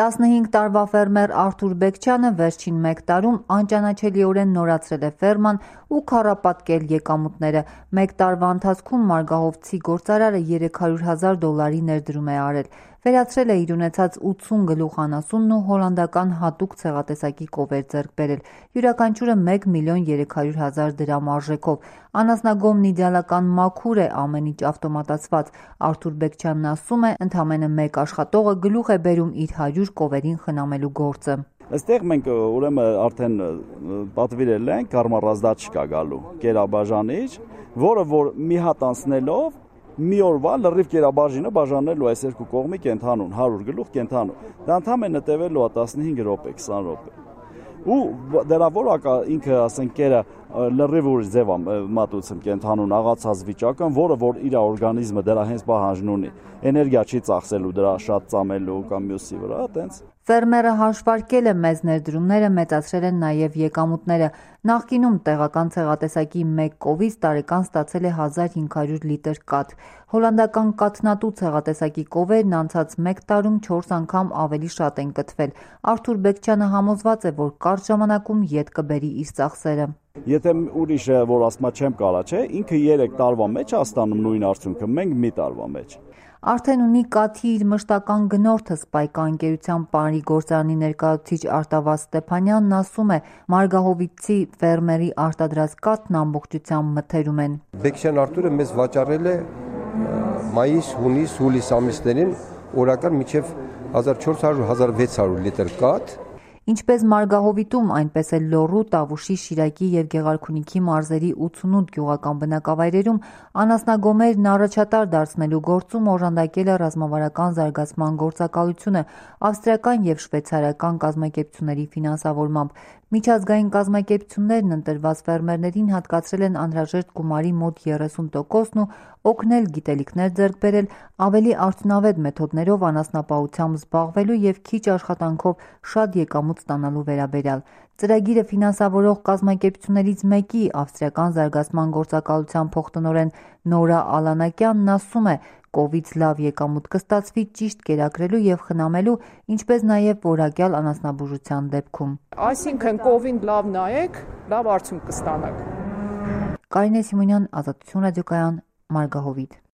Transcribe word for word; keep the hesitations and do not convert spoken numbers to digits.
տասնհինգ տարվա ֆերմեր Արթուր Բեկչյանը վերջին մեկ տարում անճանաչելիորեն նորացրել է ֆերման ու քառապատկել եկամուտները։ Մեկ տարվա ընթացքում մարգահովցի գործարարը երեք հարյուր հազար դոլարի ներդրում է արել։ Վերացրել է իր ունեցած ութսուն գլուխ անասունն ու հոլանդական հատուկ ցեղատեսակի կովեր ձեռք բերել, յուրաքանչյուրը մեկ միլիոն երեք հարյուր հազար դրամ արժեքով։ Անասնագոմն իդեալական մաքուր է, ամեն ինչ ավտոմատացված։ Արթուր Բեկչյանն ասում է, ընդամենը մեկ աշխատողը գլուխ է բերում իր հարյուր կովերին խնամելու գործը։ Այստեղ մենք ուրեմն արդեն պատվիրել ենք կարմարազդաչկա գալու կերաբաժանիչ, որը որ մի հատ անցնելով մի օրվա լրիվ կերաբաժինը բաժանելու այս երկու կողմի կենթանուն, հարյուր գլուխ կենթանուն։ Դա ընդամենը տևելու է տասնհինգ րոպե, քսան րոպե։ Ու դրա որակա ինքը ասենք կերը լրիվ ուրիշ ձև է մատուցում կենթանուն աղացած վիճակը, որը որ իր օրգանիզմը դրա հենց պահանջն ունի։ Էներգիա չի ծախսելու դրա շատ ծամելու կամ մյուսի վրա, տենց։ Ֆերմերը հաշվարկել է մեծ ներդրումները, մեծացրել են նաև եկամուտները։ Նախկինում տեղական ցեղատեսակի մեկ կովից տարեկան ստացել է հազար հինգ հարյուր լիտր կաթ։ Հոլանդական կաթնատու ցեղատեսակի կովերն անցած մեկ տարում չորս անգամ ավելի շատ են կթվել։ Արթուր Բեկչյանը համոզված է, որ կարճ ժամանակում ետ կբերի իր ծախսերը։ Եթե ուրիշը, որ ասма չեմ կարա, չէ, ինքը երեք տարվա մեջ է ստանում նույն արդյունքը, մենք մի տարվա մեջ։ Արդեն ունի կաթի իր մշտական գնորդը Սպայկա ընկերության Պարի գործարանի ներկայացուցիչ Արտավազդ Ստեփանյանն ասում է, մարգահովիցի ֆերմերի արտադրած կաթն ամբողջությամբ մթերում են։ Բեկչյան Արթուրը մեզ վաճառել է մայիս, հունիս, հուլիս ամիսներին օրական մինչև հազար չորս հարյուր - հազար վեց հարյուր լիտր կաթ։ Ինչպես Մարգահովիտում, այնպես էլ Լոռու, Տավուշի, Շիրակի և Գեղարքունիքի մարզերի ութսունութ գյուղական բնակավայրերում անասնագոմերն առաջատար դարձնելու գործում օժանդակել է ռազմավարական զարգացման գործակալությունը ավստրիական և շվեյցարական կազմակերպությունների ֆինանսավորմամբ։ Միջազգային կազմակերպություններն ընտրված ֆերմերներին հատկացրել են անհրաժեշտ գումարի մոտ երեսուն տոկոսն ու օգնել գիտելիքներ ձեռք բերել ավելի արդյունավետ մեթոդներով անասնապահությամբ զբաղվելու և քիչ աշխատանքով շատ եկամուտ ստանալու վերաբերյալ։ Ծրագիրը ֆինանսավորող կազմակերպություններից մեկի ավստրիական զարգացման գործակալության փոխտնօրեն Նորա Ալանակյանն ասում է, կովից լավ եկամուտ կստացվի ճիշտ կերակրելու և խնամելու, ինչպես նաև որակյալ անասնաբուժության դեպքում։ Այսինքն կովին լավ նայեք, լավ արդյունք կստանաք։ Կարինե Սիմոնյան, Ազատություն ռադիոկայան, Մարգահովիտ։